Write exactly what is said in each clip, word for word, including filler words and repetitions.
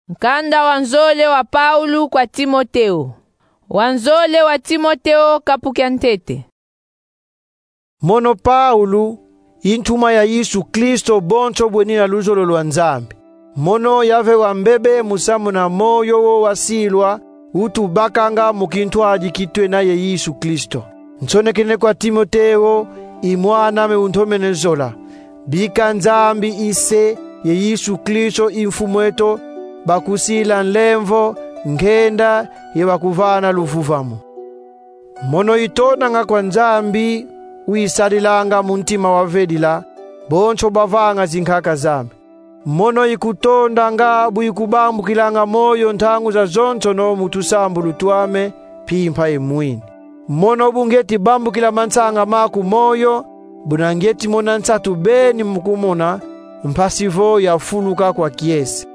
Nkanda wa nzole wa Paulo kwa Timoteo. Wa nzole wa Timoteo, kapu kia ntete. Mono Paulo, i ntumwa ya Yesu Kristo bonso bwenina luzolo lwa Nzambi. Mono yave wa mbebe musamu na moyo wo wasilwa, utubakanga mu kintwadi ki twena ye Yesu Kristo. Nsonekene kwa Timoteo, i mwan'ame untomene zola. Bika Nzambi i Se ye Yesu Kristo i Mfumu eto, bakusila nlemvo, nkenda, ye bakuvana luvuvamu. Mono itondanga kwa Nzambi, uyisadilanga mu ntima wa vedila bonso bavanga zinkaka zame. Mono ikutondanga bu ikubambukilanga moyo ntangu zazonsono mu tusambulu twame, mpimpa ye mwini. Mono bu ngieti bambukila mansanga maku moyo, buna ngieti mona nsatu beni mu kumona mpasi vo yafuluka kwa kiese.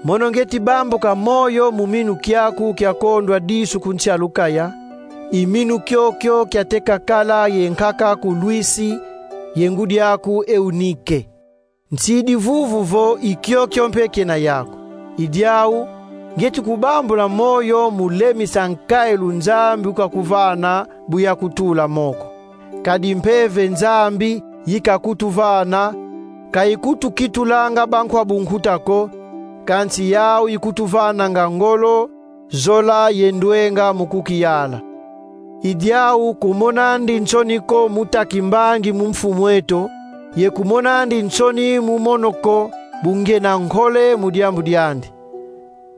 Mono ngieti bambuka moyo mu minu kiaku kia kondwa disu ku nsi a Lukaya, i minu kiokio kiateka kala ye nkaka ku lwisi, ye ngudi aku Eunike. Nsidi vuvu vo i kiokio mpe kiena yaku. I diau, ngieti kubambula moyo mu lemisa nkailu Nzambi ukakuvana bu yakutula moko. Kadi Mpeve Nzambi yikakutuvana, ka ikutukitulanga bankwa bunkuta ko, kansi yau ikutuvananga ngolo, zola ye ndwenga mu kukiyala. I diau kumonandi nsoni ko mu ta kimbangi mu Mfumu eto, ye kumonandi nsoni mu mono ko bu ngiena nkole mu diambu diandi.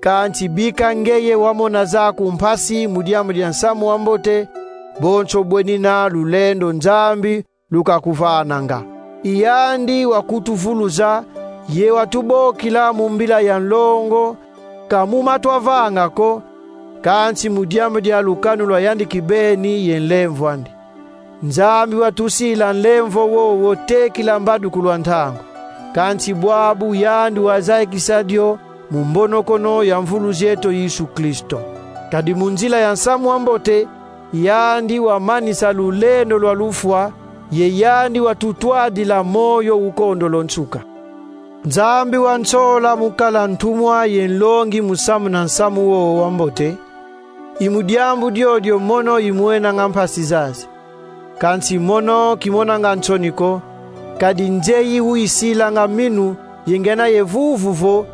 Kansi bika ngeye wamona zaku mpasi mu diambu dia nsamu wa mbote, bonso bwenina lulendo Nzambi lukakuvananga. I yandi wakutuvuluza, ye watubokila mu mbila ya nlongo, ka mu ma twavanga ko, kansi mu diambu dia lukanu lwa yandi kibeni ye nlemvo andi. Nzambi watusila nlemvo wowo tekila mbadukulu a ntangu. Kansi bwabu yandi wazayikisa dio mu mbonokono ya Mvuluzi eto Yesu Kristo. Kadi mu nzila ya nsamu wa mbote, yandi wamanisa lulendo lwa lufwa, ye yandi watutwadila moyo ukondolo nsuka. Nzambi wansola mu kala ntumwa ye nlongi musamu na nsamu wowo wa mbote, i mu diambu diodio mono imwenanga mpasi zazi. Kansi mono kimonanga nsoni ko, kadi nzeyi uyisilanga minu ye ngiena ye vuvu vo,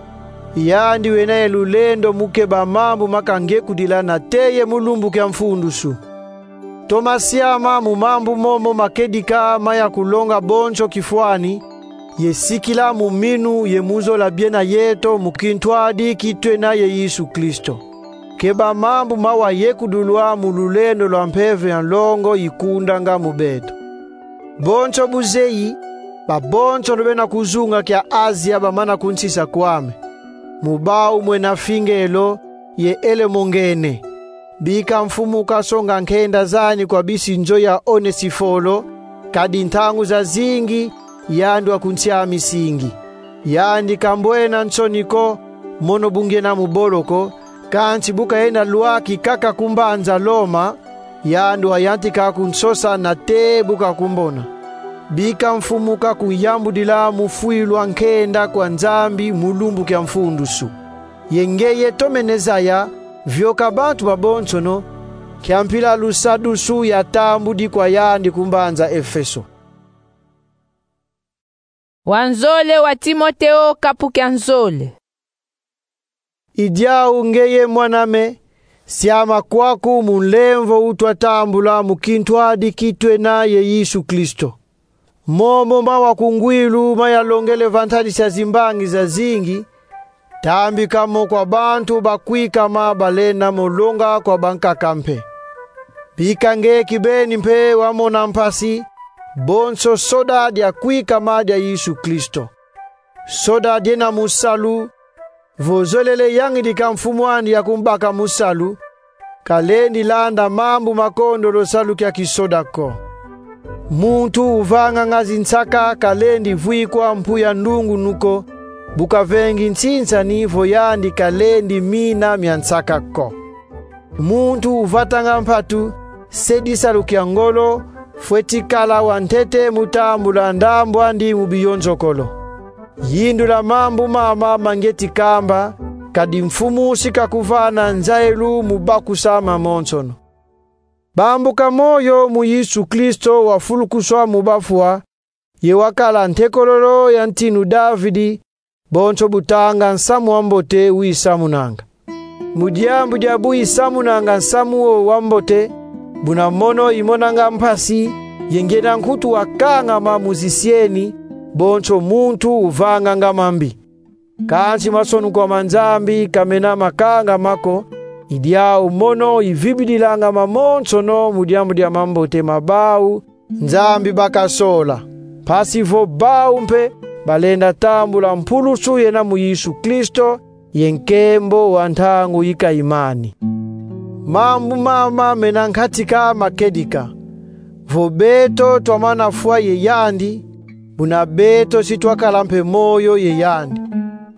yandi wena ye lulendo mu keba mambu makangekudila nate ye mu lumbu kia mfundusu. Toma siama mu mambu momo makedika ma yakulonga bonso kifwani, ye sikila mu minu ye mu zola biena yeto mu kintwadi ki twena ye Yesu Kristo. Keba mambu mawa yekudulwa mu lulendo lwa mpeve ya nlongo ikundanga mu beto. Bonso bu zeyi, babonsono bena ku zunga kia Azia bamana kunsisa kwame. Mu bau mwena Fingelo ye Elemongene. Bika Mfumu kasonga nkenda zani kwa bisi nzo ya Onesifolo, kadi ntangu zazingi yandi wakunsiamisingi. Yandi kambwena nsoni ko, mono bu ngiena mu boloko, kansi bu kayenda lwaki kaka ku mbanza Loma, yandi wayantika kunsosa nate bu kakumbona. Bika Mfumu kakuyambudila mu fwilwa nkenda kwa Nzambi mu lumbu kia mfundusu. Ye ngeye tomene zaya, vioka bantu babonsono, kia mpila lusadusu yatambudi kwa yandi ku mbanza Efeso. Wa nzole wa Timoteo, kapu kia nzole. I diau ngeye mwan'ame, siama kwaku mu nlemvo utwatambula mu kintwadi ki twena ye Yesu Kristo. Momo mawa ku ngwilu mayalongele va ntadisi a zimbangi zazingi, tambika mo kwa bantu bakwikama balenda mo longa kwa bankaka mpe. Bika nge kibeni mpe wamona mpasi, bonso soda dia kwikama dia Yesu Kristo. Soda diena mu salu, vo zolele yangidika mfumu andi ya kumbaka mu salu, kalendi landa mambu makondolo salu kia kisoda ko. Muntu uvanganga zinsaka kalendi vwikwa mpu ya ndungunu ko, bu kavengi nsinsani vo yandi kalendi mina mia nsaka ko. Muntu uvatanga mpatu, se disalu kia ngolo, fweti kala wa ntete mu tambula ndambu andi mu biyonzokolo. Yindula mambu mama ma ngieti kamba, kadi Mfumu si kakuvana nzayilu mu bakusa mamonsono. Bambuka moyo mu Yesu Kristo wafulukuswa mu bafwa, ye wakala ntekololo ya ntinu Davidi, bonso bu tanga Nsamu wa Mbote wisamunanga. Mu diambu dia bu isamunanga nsamu wo wa mbote, buna mono imonanga mpasi, ye ngyenda nkutu wakangama mu zisieni, bonso muntu uvanganga mambi. Kansi masonukwa ma Nzambi ka mena makangama ko, i diau mono ivibidilanga mamonsono mu diambu dia mambote ma bau Nzambi baka sola. Mpasi vo bau mpe balenda tambula mpulusu yena mu Yesu Kristo, ye nkembo wa ntangu yi kayimani. Mambu mama mena nkatika ma kedika. Vo beto twamana fwa ye yandi, buna beto si twakala mpe moyo ye yandi.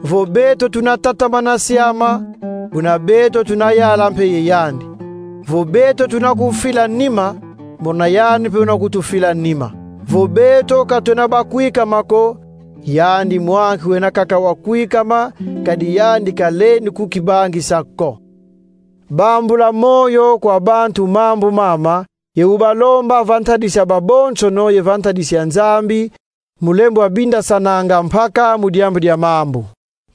Vo beto tuna tatamana siama, buna beto tuna yala mpe ye yandi. Vo beto tuna kufila nima, buna yandi mpe una kutufila nima. Vo beto ka tuna bakwikama ko, yandi mwanki wena kaka wakwikama, kadi yandi kalendi kukibangisa ko. Bambula moyo kwa bantu mambu mama, ye ubalomba va ntadisi ya babonsono ye va ntadisi ya Nzambi, mu lembo wa bindasananga mpaka mu diambu dia mambu.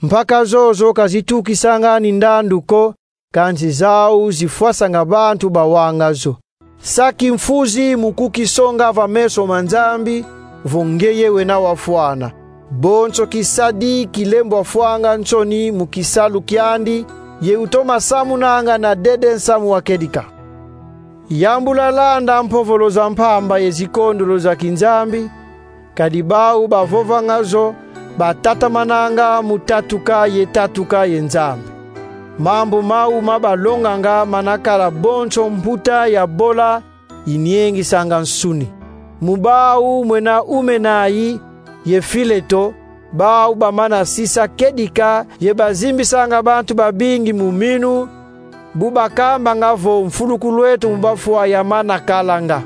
Mpaka zozo ka zitukisanga ni ndandu ko, kansi zau zifwasanga bantu bawanga zo. Sa kimfuzi mu kukisonga va meso ma Nzambi, vo ngeye wena wafwana. Bonso kisadi kilembwa fwanga nsoni mu kisalu kiandi, ye utoma samunanga na dede nsamu wa kedika. Yambula landa mpovolo za mpamba ye zikondolo za kinzambi, kadi bau bavovanga zo, batatamananga mu tatuka ye tatuka ye Nzambi. Mambu mau mabalonganga mana kala bonso mputa ya bola, iniengisanga nsuni. Mu bau mwena Umenayi ye Fileto, bau bamana sisa kedika ye bazimbisanga bantu babingi mu minu, bu bakambanga vo mfulukulweto mu bafwa yamana kalanga.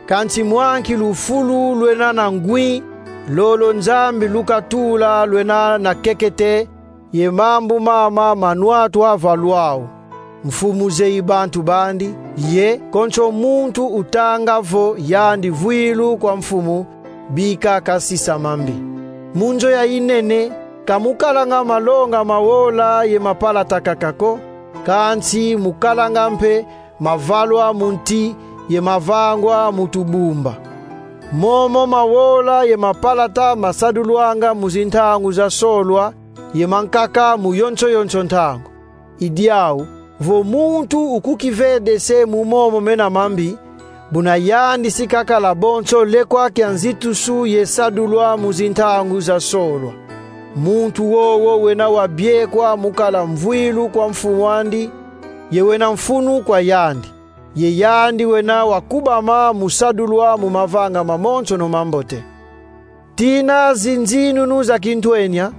Kansi mwanki lufulu lwena na ngwi, lolo Nzambi lukatula lwena na kekete, ye mambu mama manwatwa va lwau. Mfumu zeyi bantu bandi, ye konso muntu utanga vo yandi vwilu kwa Mfumu, bika kasisa mambi. Mu nzo ya inene, ka mukalanga malonga ma wola ye ma palata kaka ko, kansi mukalanga mpe mavalwa mu nti ye mavangwa mu tubumba. Momo ma wola ye ma palata masadulwanga mu zintangu za solwa, ye mankaka mu yonso yonso ntangu. I diau, vo muntu ukukivedese mu momo mena mambi, buna yandi si kakala bonso lekwa kia nzitusu ye sadulwa mu zintangu za solwa. Muntu wowo wena wabiekwa mu kala mvwilu kwa Mfumu andi, ye wena mfunu kwa yandi. Ye yandi wena wakubama mu sadulwa mu mavanga mamonsono mambote. Tina zinzinunu za kintwenia,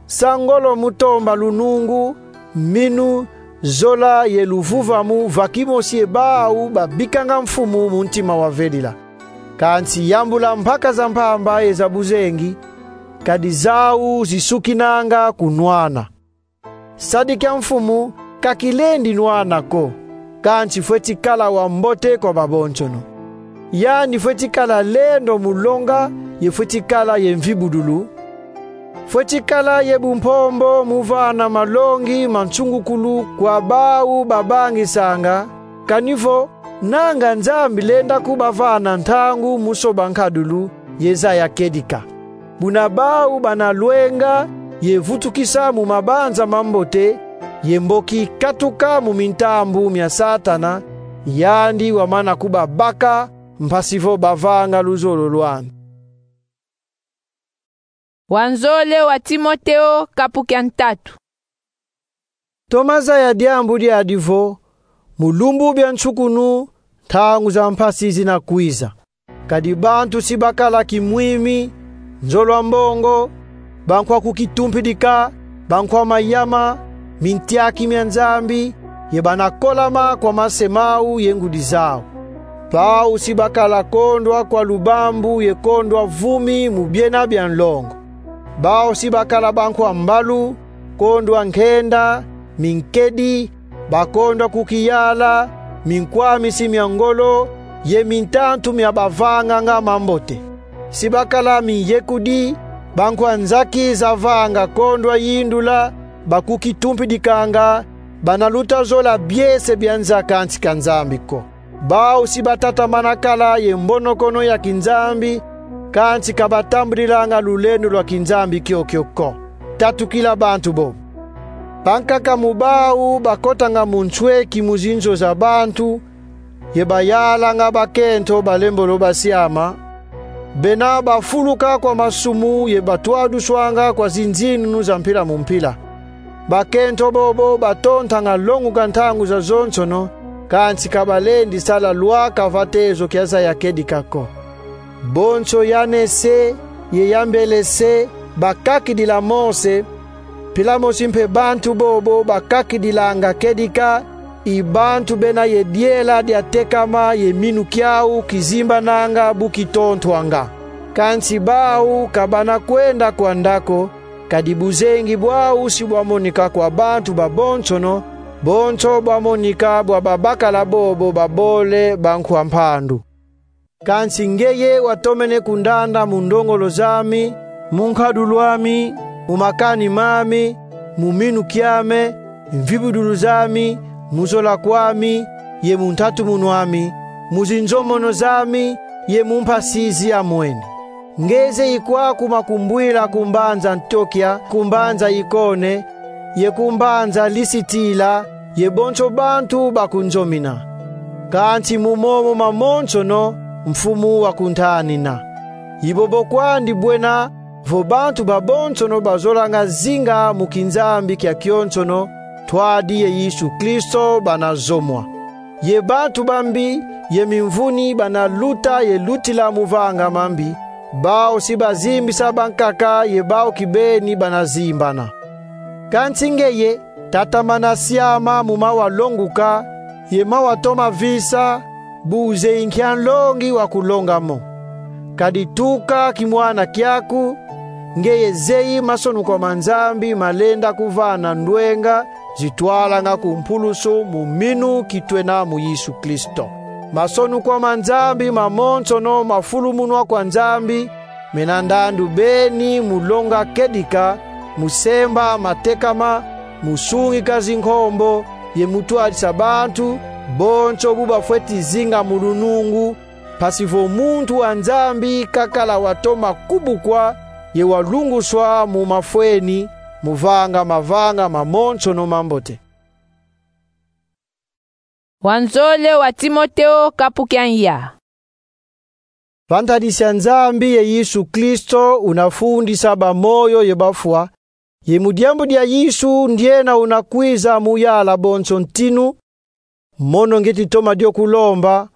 sa ngolo mu tomba lunungu, minu, zola ye luvuvamu va kimosi ye bau babikanga Mfumu mu ntima wa vedila. Kansi yambula mpaka za mpamba ye za buzengi, kadi zau zisukinanga kunwana. Sadi kia Mfumu ka kilendi nwana ko, kansi fweti kala wa mbote kwa babonsono. Yandi fweti kala lendo mu longa, ye fweti kala ye mvibudulu. Fweti kala ye bumpombo mu vana malongi ma nsungukulu kwa bau babangisanga, kani vo nanga Nzambi lenda kubavana ntangu mu soba nkadulu ye zaya kedika. Buna bau bana lwenga ye vutukisa mu mabanza mambote, ye mboki katuka mu mintambu mia Satana, yandi wamana kubabaka, mpasi vo bavanga luzolo lwandi. Wa nzole wa Timoteo, kapu kia ntatu. Toma zaya diambu diadi vo, mu lumbu bia nsukunu, ntangu za mpasi zina kwiza. Kadi bantu si bakala kimwimi, nzolwa mbongo, bankwa kukitumpidika, bankwa mayama, mintiaki mia Nzambi, ye bana kolama kwa mase mau ye ngudi zau. Bau si bakala kondwa kwa lubambu ye kondwa vumi mu biena bia nlongo. Bau si bakala bankwa mbalu, bakondwa nkenda, minkedi, bakondwa kukiyala, minkwamisi mia ngolo, ye mintantu mia bavanganga mambote. Si bakala minyekudi, bankwa nzaki za vanga kondwa yindula, bakukitumpidikanga, bana luta zola biese bia nza kansi ka Nzambi ko. Bau si batatamana kala ye mbonokono ya kinzambi, kansi ka batambudilanga lulendo lwa kinzambi kiokio ko. Tatukila bantu bo. Bankaka mu bau bakotanga mu nsweki mu zinzo za bantu, ye bayalanga bakento balembolo basiama, bena bafuluka kwa masumu ye batwaduswanga kwa zinzinunu za mpila mu mpila. Bakento bobo batontanga longuka ntangu zazonsono, kansi ka balendi sala lwaka va tezo kia zaya kedika ko. Bonso Yanese ye Yambelese bakakidila Mose, mpila mosi mpe bantu bobo bakakidilanga kedika, i bantu bena ye diela diatekama ye minu kiau kizimbananga bu kitontwanga. Kansi bau ka bana kwenda kwanda ko, kadi buzengi bwau si bwamonika kwa bantu babonsono, bonso bwamonika bwa babakala bobo babole bankwa mpandu. Kansi ngeye watomene kundanda mu ndongolo zami, mu nkadulu ami, mu makani mami, mu minu kiame, mvibudulu zami, mu zola kwami, ye mu ntatumunu ami, mu zinzomono zami, ye mu mpasi ziamwene. Nge zeyi kwaku makumbwila ku mbanza Antiokia, ku mbanza Ikone, ye ku mbanza Lisitila, ye bonso bantu bakunzomina. Kansi mu momo mamonsono Mfumu wakuntanina. I bobo kwandi bwena, vo bantu babonsono bazolanga zinga mu kinzambi kiakionsono, ntwadi ye Yesu Kristo bana zomwa. Ye bantu bambi ye mimvuni bana luta ye lutila mu vanga mambi, bau si bazimbisa bankaka ye bau kibeni bana zimbana. Kansi ngeye, tatamana siama mu mawa longuka, ye mawa toma visa, bu zeyi nkia nlongi wa kulonga mo. Kadi tuka kimwana kiaku, ngeye zeyi masonukwa ma Nzambi malenda kuvana ndwenga zitwalanga ku mpulusu mu minu kitwena mu Yesu Kristo. Masonukwa ma Nzambi mamonsono mafulumunwa kwa Nzambi, mena ndandu beni mu longa kedika, mu semba matekama, mu sungika zinkombo, ye mu twadisa bantu, bonso bu bafweti zinga mu lunungu, mpasi vo muntu wa Nzambi kakala watoma kubukwa, ye walunguswa mu mafweni, mu vanga mavanga mamonsono mambote. Wanzole wa Timoteo, kapu kia nya. Va ntadisi ya Nzambi ye Yesu Kristo una fundisa bamoyo ye bafwa, ye mu diambu dia Yesu ndiena una kwiza mu yala bonso ntinu, mono ngeti toma dio kulomba,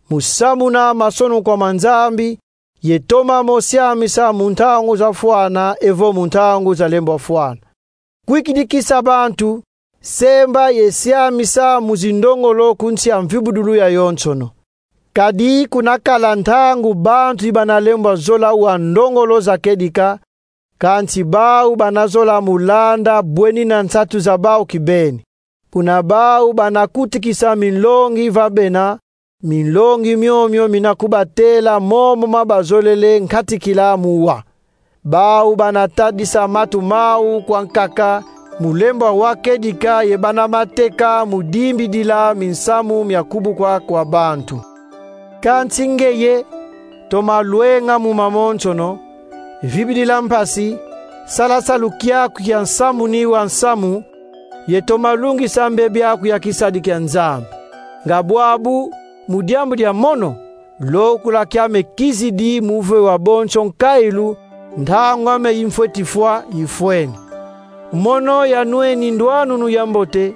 mu samuna masonukwa ma Nzambi, ye toma mo siamisa mu ntangu zafwana evo mu ntangu zalembwafwana. Kwikidikisa bantu, semba ye siamisa mu zindongolo ku nsi ya mvibudulu yayonsono. Kadi kuna kala ntangu bantu i bana lembwa zola wa ndongolo za kedika, kansi bau bana zola mu landa bwenina nsatu za bau kibeni. Kuna bau bana kutikisa minlongi va bena, minlongi miomio mina kubatela momo ma bazolele nkatikila mu wa. Bau bana tadisa matu mau kwa nkaka, mu lembwa wa kedika ye bana mateka mu dimbidila minsamu mia kubukwa kwa bantu. Kansi ngeye, toma lwenga mu mamonsono, vibidila mpasi, sala salu kiaku kia nsamuni wa nsamu, ye toma lungisa mbebi aku ya kisadi kia Nzambi. Nga bwabu, mu diambu dia mono, lokula kiame kizidi mu ve wa bonso nkailu, ntangu ame i mfweti fwa ifweni. Mono yanweni ndwanunu ya mbote,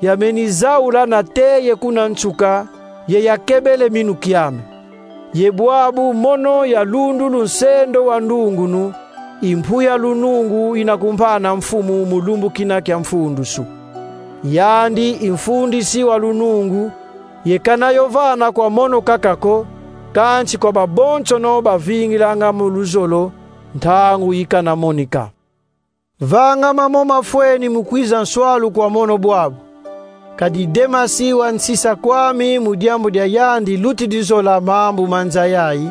yameni zaula na teye kuna nsuka, ye yakebele minu kiame. Ye bwabu mono yalundulu nsendo wa ndungunu, i mpu ya lunungu ina kumpana Mfumu mu lumbu kina kia mfundusu. Yandi i mfundisi wa lunungu, ye kana yo vana kwa mono kaka ko, kansi kwa babonsono bavingilanga mu luzolo, ntangu ikana monika. Vanga mamo mafweni mu kwiza nswalu kwa mono bwabu. Kadi Demasi wansisa kwami mu diambu dia yandi lutidi zola mambu ma nza yayi,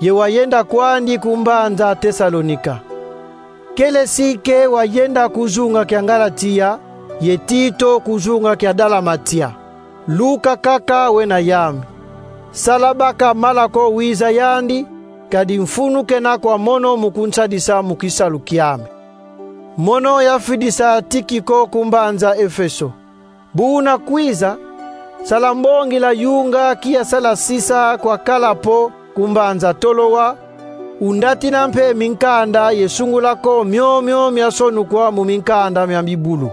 ye wayenda kwandi ku mbanza Tesalonika. Kelesike wayenda ku zunga kia Ngalatia, ye Tito ku zunga kia Dalamatia. Luka kaka wena yami. Sala baka Malako wiza yandi, kadi mfunu kena kwa mono mu kunsadisa mu kisalu kiame. Mono yafidisa Tikiko ku mbanza Efeso. Bu una kwiza, sala mbongila yunga ki yasala sisa kwa Kalapo ku mbanza Tolowa, undatina mpe minkanda ye sungula ko miomio miasonukwa mu minkanda mia bibulu.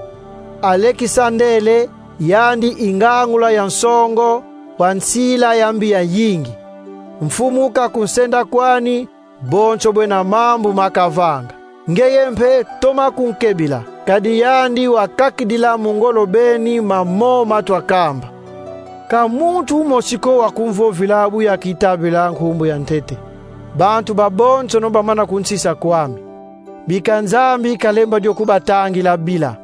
Alekisandele, yandi ingangula ya nsongo, wa nsila ya mbi yayingi. Mfumu kakunsenda kwani, bonso bwena mambu makavanga. Ngeye mpe toma kunkebila, kadi yandi wakakidila mu ngolo beni mamo matwa kamba. Ka muntu mosi ko wakumvovila bu yakitabila nkumbu ya ntete. Bantu babonsono bamana kunsisa kwami. Bika Nzambi kalemba dio kubatangila bila.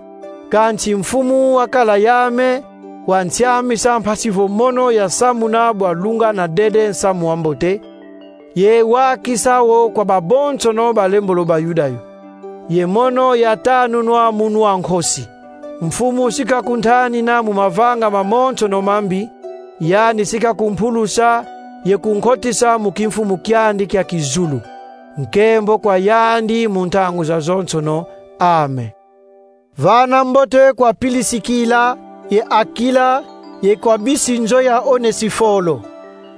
Kansi Mfumu wakala yame, wansiamisa mpasi vo mono yasamuna bwa lungana dede nsamu wa mbote, ye wakisa wo kwa babonsono balembolo Bayuda yo. Ye mono yatanunwa munu a nkosi. Mfumu si kakuntanina mu mavanga mamonsono mambi, yandi si kakumpulusa ye kunkotisa mu kimfumu kiandi kia kizulu. Nkembo kwa yandi mu ntangu zazonsono. Amen. Vana mbote kwa Pilisikila, ye Akila, ye kwa bisi nzo ya Onesifolo.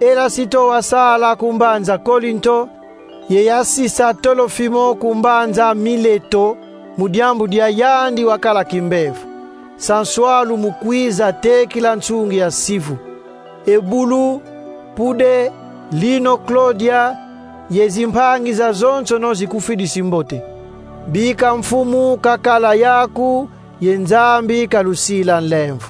Erasito wasala ku mbanza Kolinto, ye yasisa Tolofimo ku mbanza Mileto, mu diambu dia yandi wakala kimbevo. Sa nswalu mu kwiza tekila nsungi ya sivu. Ebulu, Pude, Lino, Klodia, ye zimpangi zazonsono zikufidisi mbote. Bika Mfumu kakala yaku, ye Nzambi kalusila nlemvo.